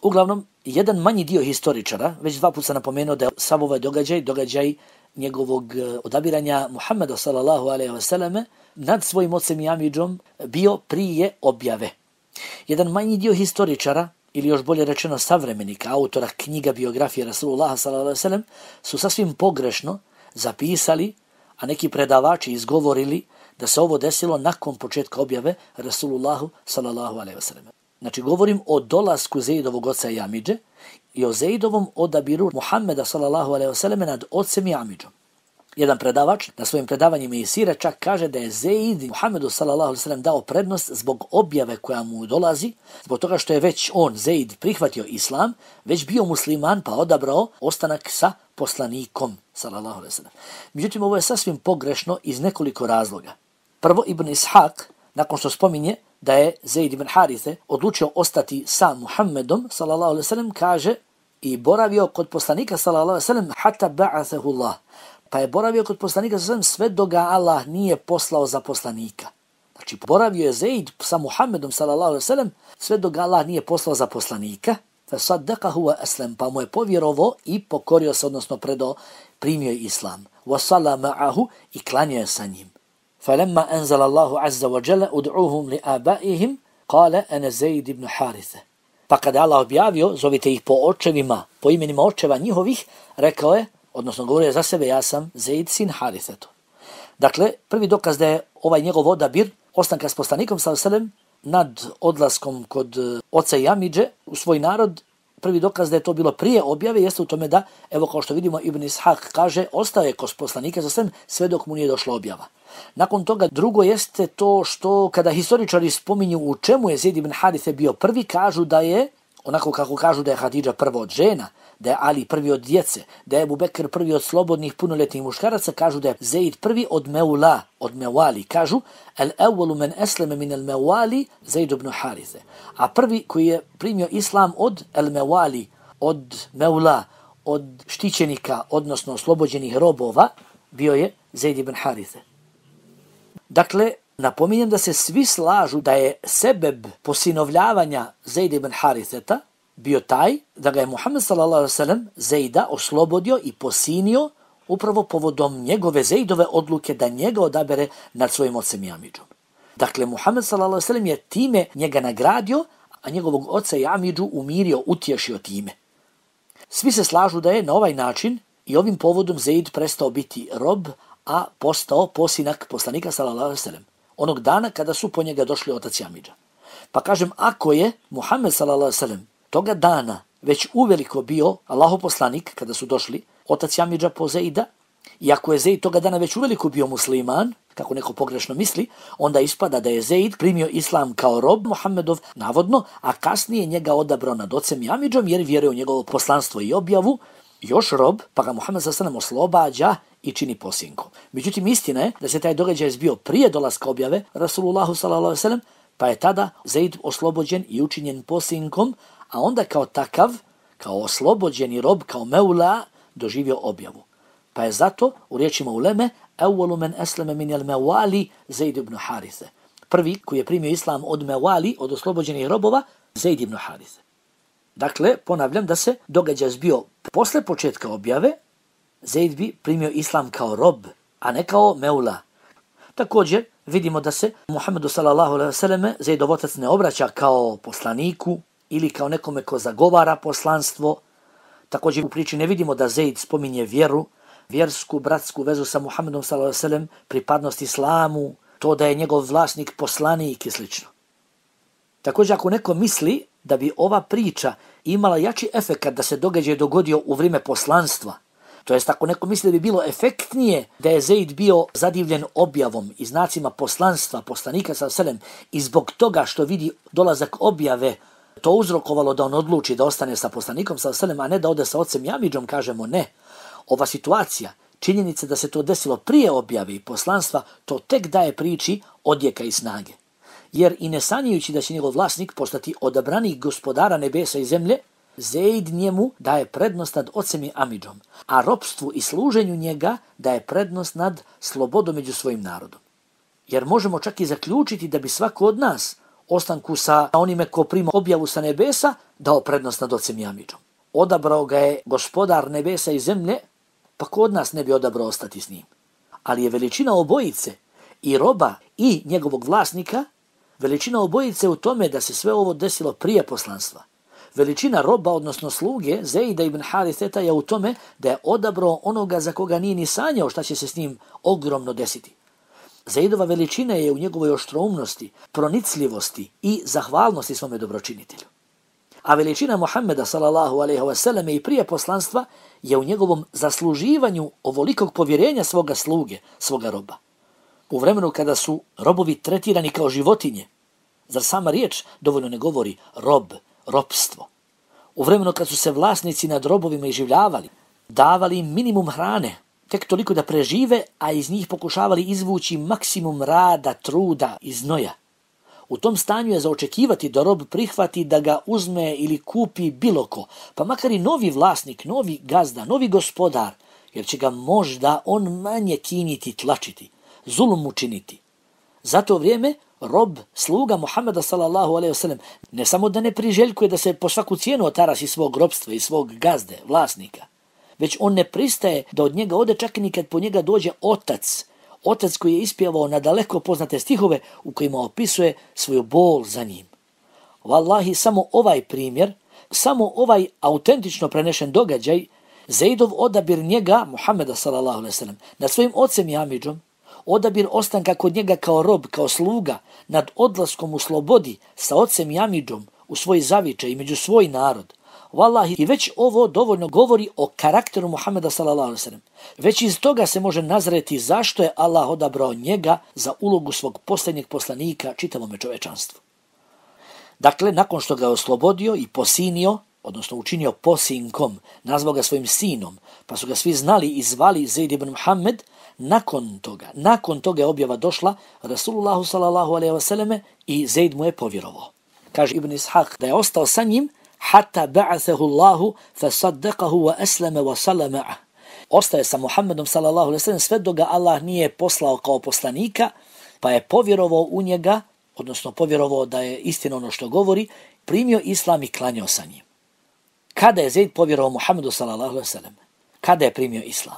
B: Uglavnom, jedan manji dio historičara, već dva puta sam napomenuo da je sav ovaj događaj, događaj njegovog odabiranja Muhammeda sallallahu alejhi ve selleme nad svojim ocem i amidžom bio prije objave. Jedan manji dio historičara, ili još bolje rečeno savremenika, autora knjiga biografije Rasulullaha sallallahu alejhi ve sellem, su sasvim pogrešno zapisali, a neki predavači izgovorili da se ovo desilo nakon početka objave Rasulullahu sallallahu alejhi ve sellem. Znači, govorim o dolasku Zeidovog oca i amidže i o Zeidovom odabiru Muhammeda sallallahu alejhi ve sellem nad ocem i amidžom. Jedan predavač na svojim predavanjima i sira čak kaže da je Zeid Muhammedu sallallahu alejhi ve sellem dao prednost zbog objave koja mu dolazi, zbog toga što je već on, Zeid, prihvatio islam, već bio musliman pa odabrao ostanak sa poslanikom sallallahu alejhi ve sellem. Međutim, ovo je sasvim pogrešno iz nekoliko razloga. Prvo, Ibn Ishaq, nakon što spominje da je Zeid ibn Harithe odlučio ostati sa Muhammedom sallallahu alejhi ve sellem, kaže i boravio kod poslanika sallallahu alejhi ve sellem hatta ba'athahu Allah. Pa je boravio kod poslanika sallallahu alejhi ve sellem sve dok ga Allah nije poslao za poslanika. Znači, boravio je Zeid sa Muhammedom sallallahu alejhi ve sellem sve dok ga Allah nije poslao za poslanika. Fa saddaqahu wa aslam, pa mu je povjerovao i pokorio se, odnosno predao, primio je islam. Wa salla ma'ahu, i klanjao je sa njim. فلما أنزل الله عز وجل ادعوهم لآبائهم قال أنا زيد بن حارثة. Pa kada Allah objavio, zovite ih po očevima, po imenima očeva njihovih, rekao je, odnosno govorio je za sebe, ja sam Zeid sin Harithetu. Dakle, prvi dokaz da je ovaj njegov odabir ostanka s poslanikom sallallahu alejhi ve sellem nad odlaskom kod oca i amidže u svoj narod, prvi dokaz da je to bilo prije objave jeste u tome da, evo kao što vidimo, Ibn Ishaq kaže, ostao je kod poslanika sallallahu alejhi ve sellem sve dok mu nije došla objava. Nakon toga drugo jeste to što kada historičari spominju u čemu je Zeid ibn Harithe bio prvi, kažu da je, onako kako kažu da je Hadidža prva od žena, da je Ali prvi od djece, da je Ebu Bekr prvi od slobodnih punoljetnih muškaraca, kažu da je Zeid prvi od Meula, od Mewali. Kažu, el evvelu men esleme min el Mewali Zeid ibn Harithe. A prvi koji je primio islam od el Mewali, od Meula, od štićenika, odnosno oslobođenih robova, bio je Zeid ibn Harithe. Dakle, napominjem da se svi slažu da je sebeb posinovljavanja Zeid ibn Haritheta bio taj da ga je Muhammed sallallahu alejhi ve sellem Zeida oslobodio i posinio upravo povodom njegove Zeidove odluke da njega odabere nad svojim ocem i amidžom. Dakle, Muhammed sallallahu alejhi ve sellem je time njega nagradio, a njegovog oca i amidžu umirio, utješio time. Svi se slažu da je na ovaj način i ovim povodom Zeid prestao biti rob, a postao posinak poslanika sallallahu alejhi ve sellem onog dana kada su po njega došli otac i amidža. Pa kažem, ako je Muhammed sallallahu alejhi ve sellem toga dana već uveliko bio Allahov poslanik kada su došli otac i amidža po Zeida, i ako je Zeid toga dana već uveliko bio musliman, kako neko pogrešno misli, onda ispada da je Zeid primio islam kao rob Muhammedov, navodno, a kasnije njega odabrao nad ocem i amidžom jer vjeruje u njegovo poslanstvo i objavu, još rob, pa ga Muhammed sallallahu alejhi ve sellem oslobađa i čini posinkom. Međutim, istina je da se taj događaj zbio prije dolaska objave Rasulullahu sallallahu alejhi ve sellem, pa je tada Zeid oslobođen i učinjen posinkom, a onda kao takav, kao oslobođeni rob, kao Meula, doživio objavu. Pa je zato, u riječima uleme, evvelu men esleme min el Mewali Zeid ibn Harithe. Prvi koji je primio islam od Mewali, od oslobođenih robova, Zeid ibn Harithe. Dakle, ponavljam da se događaj zbio posle početka objave, Zeid bi primio islam kao rob, a ne kao Meula. Također, vidimo da se Muhammedu sallallahu alejhi ve selleme Zeidov otac ne obraća kao poslaniku ili kao nekome ko zagovara poslanstvo. Također u priči ne vidimo da Zeid spominje vjeru, vjersku, bratsku vezu sa Muhammedom sallallahu alejhi ve sellem, pripadnost islamu, to da je njegov vlasnik poslanik i sl. Također, ako neko misli da bi ova priča imala jači efekat da se događaj dogodio u vrijeme poslanstva, to jest ako neko misli da bi bilo efektnije da je Zeid bio zadivljen objavom i znacima poslanstva poslanika sallallahu alejhi ve sellem i zbog toga što vidi dolazak objave to uzrokovalo da on odluči da ostane sa poslanikom sallallahu alejhi ve sellem, a ne da ode sa ocem i amidžom, kažemo ne. Ova situacija, činjenica da se to desilo prije objave i poslanstva, to tek daje priči odjeka i snage. Jer i ne sanjajući da će njegov vlasnik postati odabranik gospodara nebesa i zemlje, Zeid njemu daje prednost nad ocem i amidžom, a ropstvu i služenju njega daje prednost nad slobodom među svojim narodom. Jer možemo čak i zaključiti da bi svako od nas ostanku sa onime ko prima objavu sa nebesa dao prednost nad ocem i amidžom. Odabrao ga je gospodar nebesa i zemlje, pa ko od nas ne bi odabrao ostati s njim. Ali je veličina obojice, i roba i njegovog vlasnika, veličina obojice u tome da se sve ovo desilo prije poslanstva. Veličina roba, odnosno sluge, Zeida ibn Haritheta, je u tome da je odabrao onoga za koga nije ni sanjao šta će se s njim ogromno desiti. Zeidova veličina je u njegovoj oštroumnosti, pronicljivosti i zahvalnosti svome dobročinitelju. A veličina Muhammeda sallallahu alejhi ve selleme i prije poslanstva je u njegovom zasluživanju ovolikog povjerenja svoga sluge, svoga roba. U vremenu kada su robovi tretirani kao životinje, zar sama riječ dovoljno ne govori rob, ropstvo? U vremenu kad su se vlasnici nad robovima iživljavali, davali im minimum hrane, tek toliko da prežive, a iz njih pokušavali izvući maksimum rada, truda i znoja. U tom stanju je za očekivati da rob prihvati da ga uzme ili kupi bilo ko, pa makar i novi vlasnik, novi gazda, novi gospodar, jer će ga možda on manje kiniti, tlačiti, zulum učiniti. Za to vrijeme rob, sluga Muhammeda sallallahu alejhi ve sellem, ne samo da ne priželjkuje da se po svaku cijenu otarasi svog robstva i svog gazde, vlasnika, već on ne pristaje da od njega ode čak i kad po njega dođe otac, otac koji je ispjevao na daleko poznate stihove u kojima opisuje svoju bol za njim. Wallahi, samo ovaj primjer, samo ovaj autentično prenešen događaj, Zeidov odabir njega, Muhammeda sallallahu alejhi ve sellem, nad svojim ocem i amidžom, odabir ostanka kod njega kao rob, kao sluga, nad odlaskom u slobodi sa ocem i amidžom u svoj zavičaj i među svoj narod. Wallahi, i već ovo dovoljno govori o karakteru Muhammeda sallallahu alejhi ve sellem. Već iz toga se može nazreti zašto je Allah odabrao njega za ulogu svog posljednjeg poslanika čitavome čovečanstvu. Dakle, nakon što ga je oslobodio i posinio, odnosno učinio posinkom, nazvao ga svojim sinom, pa su ga svi znali i zvali Zeid ibn Muhammed, nakon toga, nakon toga je objava došla Rasulullahu sallallahu alejhi ve selleme i Zeid mu je povjerovao. Kaže Ibn Ishaq da je ostao sa njim hatta ba'athahu Allahu fasaddaqahu wa aslama wa sallama. Ostaje sa Muhammedom sallallahu alejhi ve sellem sve dok ga Allah nije poslao kao poslanika, pa je povjerovao u njega, odnosno povjerovao da je istina ono što govori, primio islam i klanjao sa njim. Kada je Zeid povjerovao Muhammedu sallallahu alejhi ve sellem? Kada je primio islam?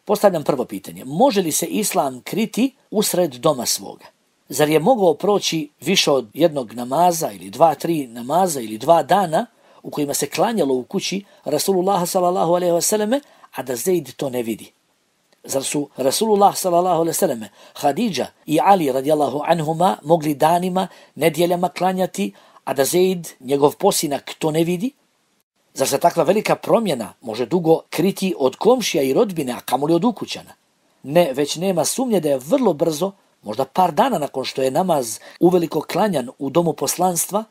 B: Postavljam prvo pitanje. Može li se islam kriti usred doma svoga? Zar je mogao proći više od jednog namaza ili dva, tri namaza ili dva dana u kojima se klanjalo u kući Rasulullah sallallahu alejhi ve selleme, a da Zeid to ne vidi? Zar su Rasulullah sallallahu alejhi ve selleme, Hadidža i Ali radijallahu anhuma mogli danima, nedjeljama klanjati, a da Zeid, njegov posinak, to ne vidi? Zar se takva velika promjena može dugo kriti od komšija i rodbine, a kamoli od ukućana? Ne, već nema sumnje da je vrlo brzo, možda par dana nakon što je namaz uveliko klanjan u domu poslanstva,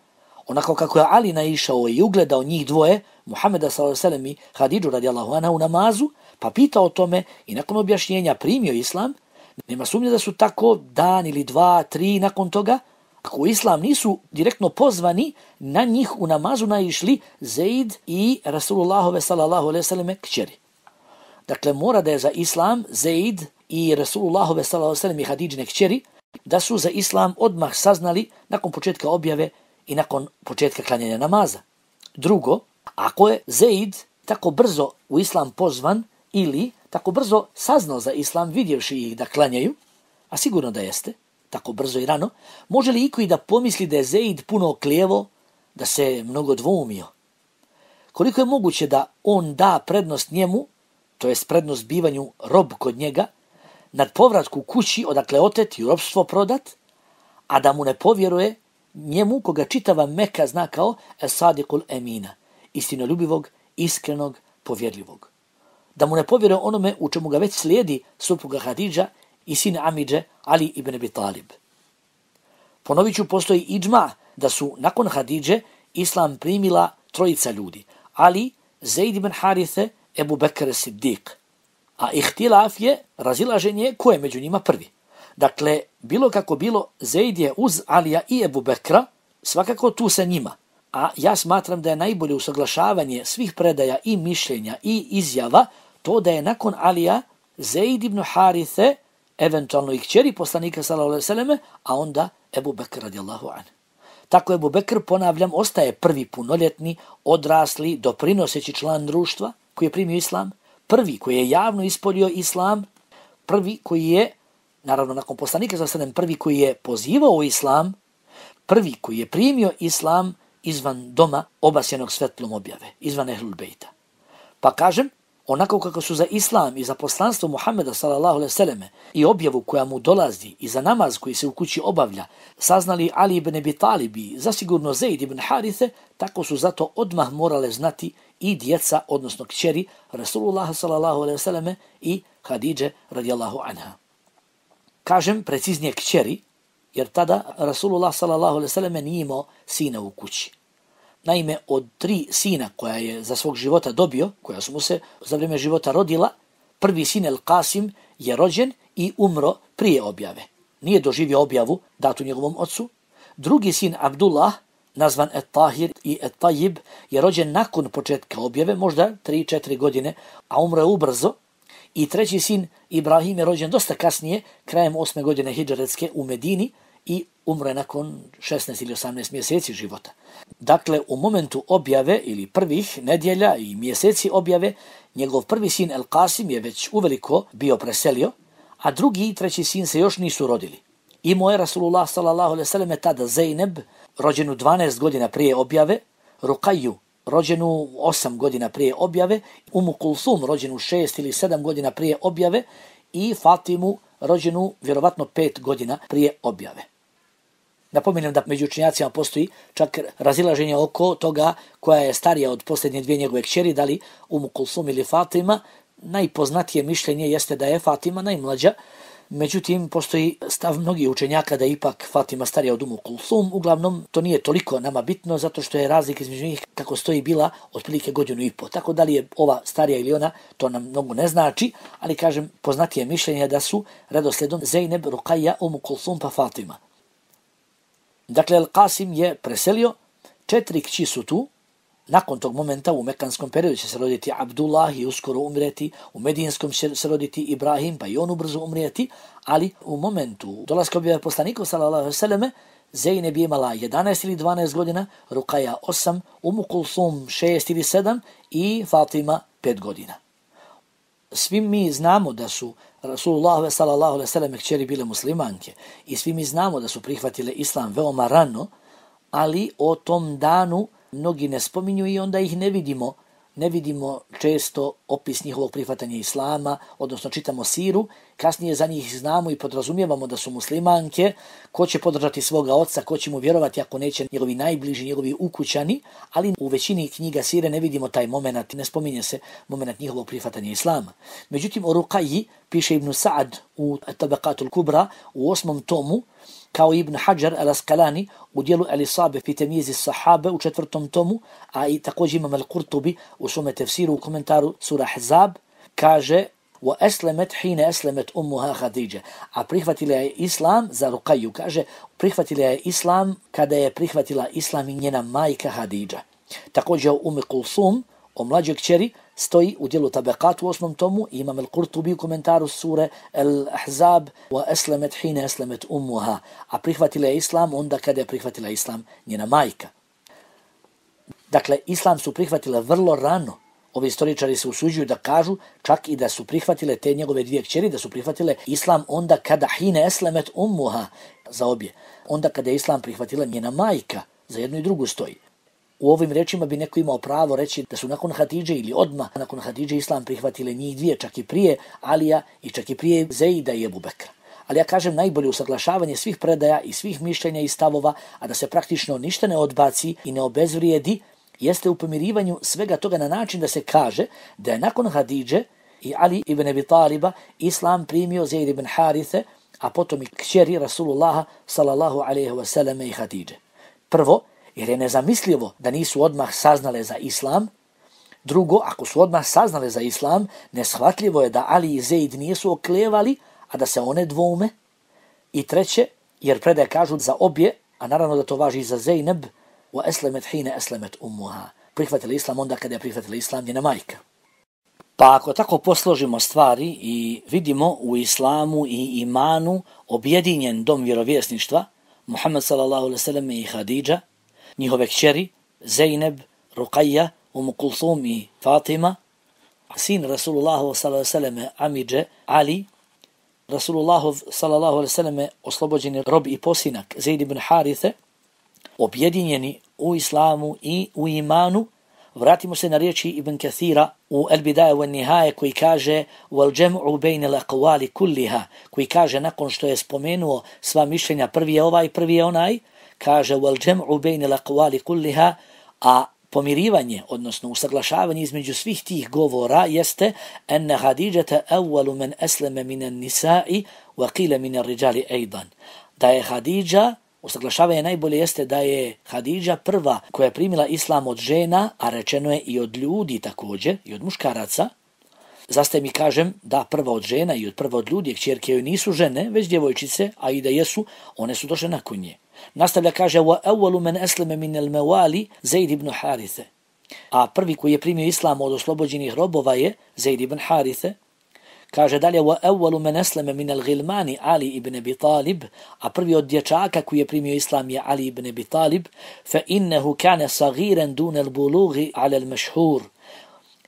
B: onako kako je Ali naišao i ugledao njih dvoje, Muhammeda sallallahu alejhi ve sellem i Hadidžu radijallahu anha u namazu, pa pitao o tome i nakon objašnjenja primio islam, nema sumnje da su tako dan ili dva, tri nakon toga, ako u islam nisu direktno pozvani, na njih u namazu naišli Zeid i Rasulullahove sallallahu alejhi ve selleme kćeri. Dakle, mora da je za islam Zeid i Rasulullahove sallallahu alejhi ve sellem i Hadidžine kćeri, da su za islam odmah saznali nakon početka objave i nakon početka klanjanja namaza. Drugo, ako je Zeid tako brzo u islam pozvan ili tako brzo saznao za islam vidjevši ih da klanjaju, a sigurno da jeste, tako brzo i rano, može li iko i da pomisli da je Zeid puno oklijevo, da se mnogo dvoumio? Koliko je moguće da on da prednost njemu, to jest prednost bivanju rob kod njega, nad povratku kući odakle otet i robstvo prodat, a da mu ne povjeruje njemu koga čitava Meka zna kao As-Sadiqul Emina, istinoljubivog, iskrenog, povjerljivog. Da mu ne povjeruje onome u čemu ga već slijedi supruga Hadidža i sin amidže Ali ibn Abi Talib. Ponovit ću, postoji idžma da su nakon Hadidže islam primila trojica ljudi: Ali, Zeid ibn Harithe, Ebu Bekr Siddiq. A ihtilaf je, razilaženje, ko je među njima prvi. Dakle, bilo kako bilo, Zeid je uz Alija i Ebu Bekra, svakako tu sa njima. A ja smatram da je najbolje usaglašavanje svih predaja i mišljenja i izjava to da je nakon Alija Zeid ibn Harithe, eventualno i kćeri poslanika sallallahu alejhi ve selleme, a onda Ebu Bekr radijallahu anhu. Tako Ebu Bekr, ponavljam, ostaje prvi punoljetni, odrasli, doprinoseći član društva koji je primio islam, prvi koji je javno ispolio islam, prvi koji je, naravno nakon poslanika sallallahu alejhi ve sellem, prvi koji je pozivao u islam, prvi koji je primio islam izvan doma obasjenog svetlom objave, izvan Ehlul Bejta. Pa kažem, onako kako su za islam i za poslanstvo Muhammeda sallallahu alejhi ve selleme i objavu koja mu dolazi i za namaz koji se u kući obavlja, saznali Ali ibn Abi Talib i zasigurno Zeid ibn Harithe, tako su zato odmah morale znati i djeca, odnosno kćeri Rasulullah sallallahu alejhi ve selleme i Hadidže radijallahu anha. Kažem preciznije kćeri, jer tada Rasulullah sallallahu alejhi ve selleme nije imao sina u kući. Naime, od tri sina koja je za svog života dobio, koja su mu se za vrijeme života rodila, prvi sin El Qasim je rođen i umro prije objave. Nije doživio objavu datu njegovom ocu. Drugi sin Abdullah, nazvan Et Tahir i Et Tajib, je rođen nakon početka objave, možda tri četiri godine, a umro je ubrzo. I treći sin Ibrahim je rođen dosta kasnije, krajem osme godine hidžretske u Medini, i umro je nakon šesnaest ili osamnaest mjeseci života. Dakle, u momentu objave ili prvih nedjelja i mjeseci objave, njegov prvi sin El Qasim je već uveliko bio preselio, a drugi i treći sin se još nisu rodili. Imao je Rasulullah sallallahu alejhi ve selleme tada Zeyneb, rođenu dvanaest godina prije objave, Rukaju, rođenu osam godina prije objave, Umu Kulsum, rođenu šest ili sedam godina prije objave i Fatimu, rođenu vjerovatno pet godina prije objave. Napominjem da među učenjacima postoji čak razilaženje oko toga koja je starija od posljednje dvije njegove kćeri, da li Umu Kulsum ili Fatima. Najpoznatije mišljenje jeste da je Fatima najmlađa, međutim postoji stav mnogih učenjaka da je ipak Fatima starija od Umu Kulsum. Uglavnom to nije toliko nama bitno zato što je razlika između njih kako stoji bila otprilike godinu i po. Tako da li je ova starija ili ona, to nam mnogo ne znači, ali kažem poznatije mišljenje da su redoslijedom Zeyneb, Ruqayya, Umu Kulsum pa Fatima. Dakle, El Qasim je preselio, četiri kći su tu, nakon tog momenta u mekanskom periodu će se roditi Abdullah i uskoro umreti, u medijinskom će se roditi Ibrahim pa i on ubrzo umrijeti, ali u momentu dolaska objave poslanika sallallahu alejhi ve selleme Zeyneb je imala jedanaest ili dvanaest godina, Ruqayya osam, Umu Kulsum šest ili sedam i Fatima pet godina. Svi mi znamo da su Rasulullah sallallahu alejhi ve selleme kćeri bile muslimanke i svi mi znamo da su prihvatile islam veoma rano, ali o tom danu mnogi ne spominju i onda ih ne vidimo. Ne vidimo često opis njihovog prihvatanja islama, odnosno čitamo siru, kasnije za njih znamo i podrazumijevamo da su muslimanke, ko će podržati svoga oca, ko će mu vjerovati ako neće njegovi najbliži, njegovi ukućani, ali u većini knjiga sire ne vidimo taj moment, ne spominje se moment njihovog prihvatanja islama. Međutim, o Ruqayyi piše Ibn Sa'ad u Tabaqatul Kubra u osmom tomu, kao Ibn Hajar al-Asqalani u dijelu Al-Isabe fi temyiz as-Sahabe u četvrtom tomu, a i također imam Al-Qurtubi u svome tefsiru u komentaru sura Ahzab, kaže wa aslamat hina aslamat ummuha Khadija, a prihvatila je islam za Ruqayyu, kaže prihvatila je islam kada je prihvatila islam i njena majka Hadidža. Također u Umu Kulsum, o mlađoj kćeri, stoji u dijelu Tabaqat u osmom tomu, imam Al-Qurtubi u komentaru sure Al-Ahzab wa aslamat hina aslamat ummuha, a prihvatila je islam onda kada je prihvatila islam njena majka. Dakle, islam su prihvatile vrlo rano. Ovi istoričari se usuđuju da kažu čak i da su prihvatile te njegove dvije kćeri, da su prihvatile islam onda kada hina aslamat ummuha za obje, onda kada je islam prihvatila njena majka, za jednu i drugu stoji. U ovim rečima bi neko imao pravo reći da su nakon Hadidže ili odmah nakon Hadidže islam prihvatile njih dvije, čak i prije Alija i čak i prije Zeida i Ebu Bekra. Ali ja kažem najbolje usaglašavanje svih predaja i svih mišljenja i stavova, a da se praktično ništa ne odbaci i ne obezvrijedi, jeste u pomirivanju svega toga na način da se kaže da je nakon Hadidže i Ali ibn Abi Taliba islam primio Zeid ibn Harithe, a potom i kćeri Rasulullaha sallallahu alejhi ve selleme i Hadidže. Prvo, jer je nezamislivo da nisu odmah saznale za islam. Drugo, ako su odmah saznale za islam, neshvatljivo je da Ali i Zeid nisu oklevali, a da se one dvoume. I treće, jer predaje kažu za obje, a naravno da to važi i za Zeyneb, وَأَسْلَمَتْ حِينَ أَسْلَمَتْ أُمُّهَا. Prihvatila islam onda kada je prihvatila islam njena majka. Pa ako tako posložimo stvari i vidimo u islamu i imanu objedinjen dom vjerovjesništva, Muhammed sallallahu alejhi ve sellem i Hadidža, njihove kćeri, Zeynep, Ruqayya, Umu Kulthum i Fatima, sin Rasulullahu sallallahu alejhi ve sellem amidže Ali, Rasulullahov sallallahu alejhi ve sellem oslobođeni rob i posinak Zeid ibn Harithe, objedinjeni u islamu i u imanu. Vratimo se na riječi Ibn Kathira u El Bidaje wa Nihaje koji kaže wal jam'u bayna al-aqwali kulliha, koji kaže nakon što je spomenuo sva mišljenja, prvi je ovaj, prvi je onaj, kaže wal jam'u bayna al-aqwali kulliha, a pomirivanje, odnosno usaglašavanje između svih tih govora jeste anna Hadidžata awwalu man aslama min an-nisa'i wa qila min ar-rijali aidan. Da je Hadidža, usaglašavanje najbolje jeste da je Hadidža prva koja je primila islam od žena, a rečeno je i od ljudi također, i od muškaraca. Zastaje mi kažem da prva od žena i od prva od ljudi, kćerke joj nisu žene, već djevojčice, a i da jesu, one su došle nakon nje. Nastavlja kaže wa awwalu man aslama min al-mawali Zaid ibn Harithe. A prvi koji je primio islam od oslobođenih robova je Zaid ibn Harithe. Kaže dalje wa awwalu man aslama min al-ghilmani Ali ibn Abi Talib, a prvi od dječaka koji je primio islam je Ali ibn Abi Talib, fa innahu kana saghiran dun al-bulughi ala al-mashhur.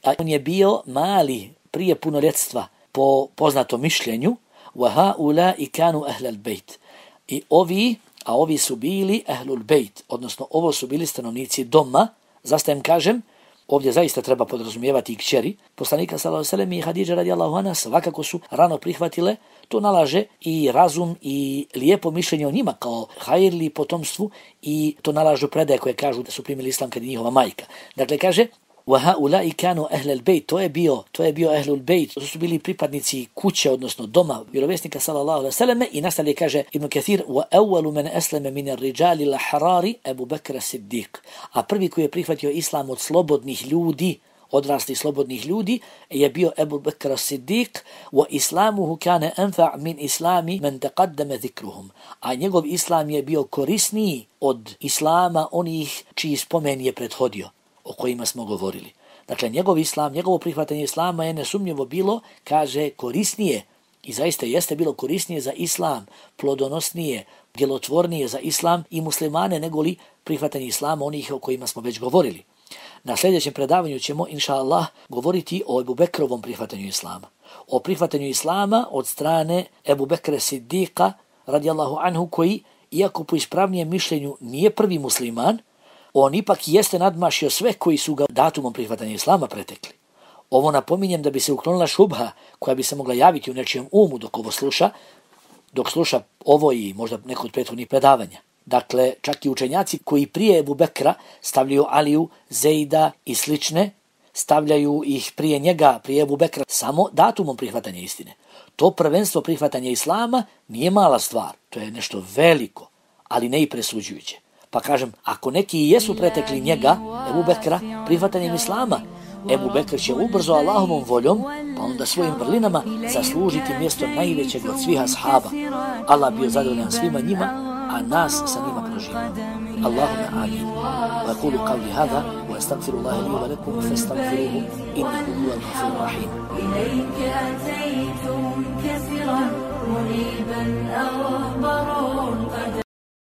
B: A on je bio mali prije punoljetstva po poznatom mišljenju, wa haula'i kanu ahlul bejt. I ovi, a ovi su bili ahlul bejt, odnosno ovo su bili stanovnici doma. Zastajem kažem, ovdje zaista treba podrazumijevati i kćeri poslanika sallallahu alejhi ve sellem i Hadidža radijallahu anha, svakako su rano prihvatile. To nalaže i razum i lijepo mišljenje o njima kao hajrli potomstvu, i to nalažu predaje koje kažu da su primili islam kad je njihova majka. Dakle kaže wa haula'i kanu ahlul bejt, to je bio to je bio ahlul bejt, to su bili pripadnici kuće, odnosno doma vjerovjesnika sallallahu alejhi ve sellem. I nastavlja kaže Ibn Kathir wa awwalu man aslama min ar-rijali al-harari Abu Bakr as-Siddiq, a prvi koji je prihvatio islam od slobodnih ljudi, odraslih slobodnih ljudi, je bio Abu Bakr as-Siddiq. Wa islamuhu kana anfa' min islami man taqaddama dhikruhum, a njegov islam je bio korisniji od islama onih čiji spomen je prethodio, o kojima smo govorili. Dakle, njegov islam, njegovo prihvatanje islama je nesumnjivo bilo, kaže, korisnije, i zaista jeste bilo korisnije za islam, plodonosnije, djelotvornije za islam i muslimane negoli prihvatanje islama onih o kojima smo već govorili. Na sljedećem predavanju ćemo, inša Allah, govoriti o Ebu Bekrovom prihvatanju islama. O prihvatanju islama od strane Ebu Bekra Siddiqa, radijallahu anhu, koji, iako po ispravnijem mišljenju nije prvi musliman, on ipak jeste nadmašio sve koji su ga datumom prihvatanja islama pretekli. Ovo napominjem da bi se uklonila šubha koja bi se mogla javiti u nečijem umu dok ovo sluša, dok sluša ovo i možda neko od prethodnih predavanja. Dakle, čak i učenjaci koji prije Ebu Bekra stavljaju Aliju, Zejda i slične, stavljaju ih prije njega, prije Ebu Bekra, samo datumom prihvatanja istine. To prvenstvo prihvatanja islama nije mala stvar, to je nešto veliko, ali ne i presuđujuće. Pa kažem, ako neki jesu pretekli njega, Ebu Bekra, prihvatanjem islama, Ebu Bekr će ubrzo Allahovom voljom, pa onda svojim vrlinama zaslužiti mjesto najvećeg od svih ashaba. Allah bio zadovoljan svima njima, a nas sa njima proživamo. Allahumma amin. Wa aqulu qawli hadha wa astaghfirullaha li wa lakum fastaghfiruhu innahu huwal ghafurur rahim. Ilayka ataytu munkasiran muniban aw